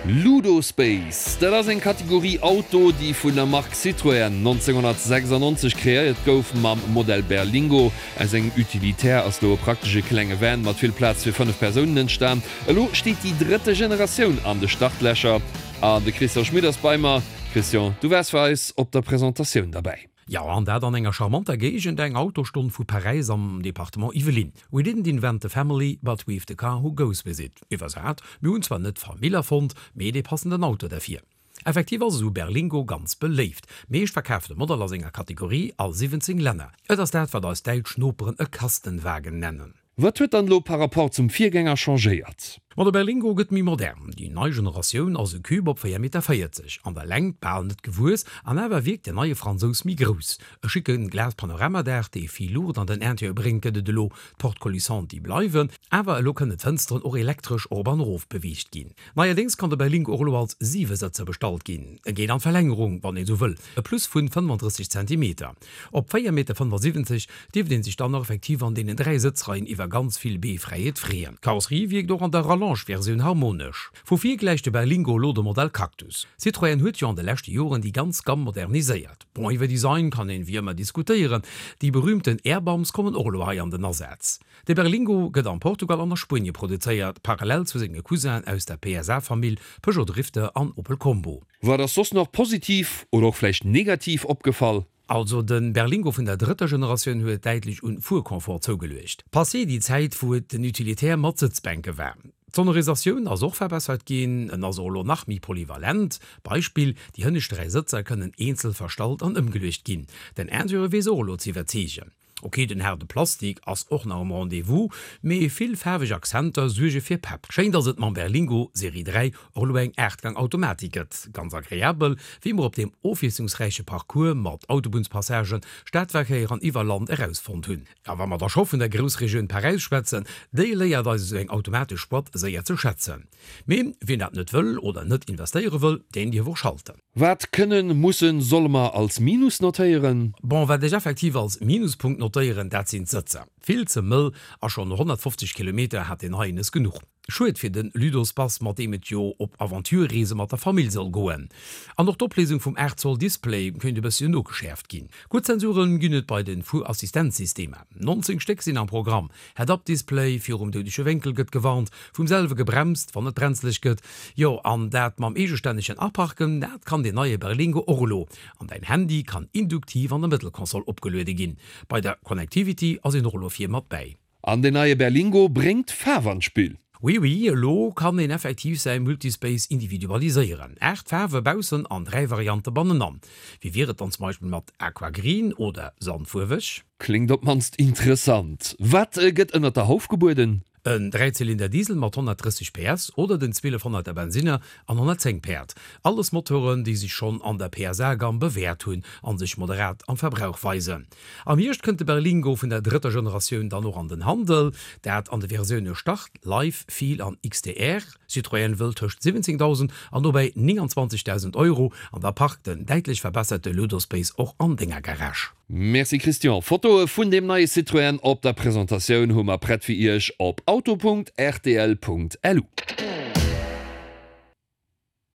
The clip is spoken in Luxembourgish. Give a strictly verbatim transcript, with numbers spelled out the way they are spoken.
Ludospace, dat ass eng Kategorie Auto, déi vun der Mark Citroën nonzénghonnertsechsannonzeg kreéiert gouf mam Modell Berlingo. Aus engem Utilitaire ass do e praktesche klenge Van mat vill Plaz fir fënnef Persounen entstan. Elo steet déi drëtte Generatioun an de Startlächer an de Christian Schmit ass bei mer. Christian, du waars fir eis op der Presentatioun derbäi. Jo, an dat an enger charmanter Géigend, eng Autostonn vu Paräis am Departement Yvelines. We didn't invent the family, but we've the car who goes with it. Iwwersat, Mir hunn zwar net d'Famill erfonnt, mee dee passenden Auto derfir. Effektiv ass esou Berlingo ganz beléift. Meescht verkaafte Modell a senger Kategorie a siwwenzéng Länner. Et ass dat, wat eis däitsch Noperen e Kastenwagen nennen. Wat huet dann elo par rapport zum Virgänger changéiert? Ma de Berlingo gëtt méi modern. Déi nei Generatioun ass e Cube op véier Meter véierzeg, an der Längt bal net gewuess, an awer wierkt den neie Fransous méi grouss. E schicke Glas-Panorama-Daach, dee vill Luucht an den Interieur bréngt, gëtt et elo. D'Portes coulissantes, déi bleiwen, awer elo kënnen d'Fënsteren och elektresch erop an erof beweegt ginn. Neierdéngs kann de Berlingo och elo als Siwesëtzer bestallt ginn. E geet an d'Verlängerung, wann een esou wëll, e Plus vun fënnefandrësseg Zentimeter. Op véier Meter fënnefasiwwenzeg dierft een sech dann och effektiv an deenen dräi Sëtzreien iwwer ganz vill Beefräiheet freeën. D'Karosserie wierkt och an der Rallonge-Versioun harmonesch. Vu vir gläicht de Berlingo elo dem Modell Cactus. Citroën huet jo an de leschte Joren déi ganz Gamm moderniséiert. Bon, iwwer Design kann een wéi ëmmer diskutéieren. Déi berüümten Airbumps kommen och elo hei an den Asaz. De Berlingo gëtt an Portugal an a Spuenie produzéiert, parallel zu senge Cousinen aus der P S A-Famill Peugeot Drifter an Opel Combo. Wat ass soss nach positiv oder och vläicht negativ opgefall? Also de Berlingo vun der drëtter Generatioun huet däitlech un Fuerconfort zougeluecht. Passé déi Zäit wou et den Utilitaire mat Sëtzbänke war. D'Sonorisatioun ass och verbessert ginn, en ass och elo nach méi polyvalent. Beispill, déi hënnescht dräi Sëtzer kënnen eenzel verstallt an ëmgeluecht ginn. Den Interieur weess och elo ze iwwerzeegen. Ok, den haarde Plastik ass och nach um Rendez-vous, mee vill faarweg Akzenter suerge fir Pepp. Schéin, dass et mam Berlingo Serie dräi och elo eng Aachtgang-Automatik gëtt. Ganz agreabel, wéi mer op deem ofwiesslungsräiche Parcours mat Autobunnspassagen, Stadverkéier an iwwer Land erausfonnt hunn. A wa mer da scho vun der Groussregioun Paräis schwätzen, déi léiert eis esou eng automatesch Boîte séier ze schätzen. Mee wien dat net wëll oder net investéiere wëll, deen dierf och schalten. Wat kënnen, mussen, solle mer als Minus notéieren? Bon, wat ech effektiv als Minuspunkt notéieren, dat sinn d'Sëtzer. Vill ze mëll a schonn no honnertfofzeg Kilometer hat deen heien es genuch. Schued fir den Ludospace, mat deem et jo op Aventure-Reese mat der Famill soll goen. An och d'Opléisung vum aacht Zoll Display kéint e bësschen nogeschäerft ginn. Gutt Sensoren ginn et bei den Fuerassistenzsystemer. Nonzéng Stéck sinn am Programm. Head-Up-Display, virum doudege Wénkel gëtt gewarnt, vum selwe gebremst, wann et brenzeleg gëtt. Jo, an dat mam eegestännegen Aparken, dat kann deen neie Berlingo och elo. An däin Handy kann induktiv an der Mëttelkonsol opgeluede ginn. Bei der Connectivity ass een och elo vir mat bäi. An deen neie Berlingo bréngt Faarf an d'Spill. Oui, oui, elo kann een effektiv säi Multispace individualiséieren. Aacht Faarwe baussen an dräi Variante bannenan. Wéi wier et dann zum Beispill mat Aqua Green oder Sandfuerweg? Kléngt op d'mannst interessant. Wat gëtt ënnert der Hauf gebueden? En Dräizylinder Diesel mat honnertdrësseg P S oder den zwielefhonnerter Bensinner an honnertzéng Päerd. Alles Motoren, déi sech schonn an der P S A-Gamm bewäert hunn a sech moderat am Verbrauch weisen. Am Hierscht kënnt de Berlingo vun der drëtter Generatioun dann och an den Handel, dat an de Versioune Start, Life, Feel an X T R. Citroën wëll tëscht siwwenzéngdausend an dobäi nénganzwanzegdausend Euro an da parkt den däitlech verbesserte Ludospace och an denger Garage. Merci Christian. Fotoe vun deem neie Citroën op der Presentatioun hu mer prett fir iech op auto Punkt rtl Punkt lu.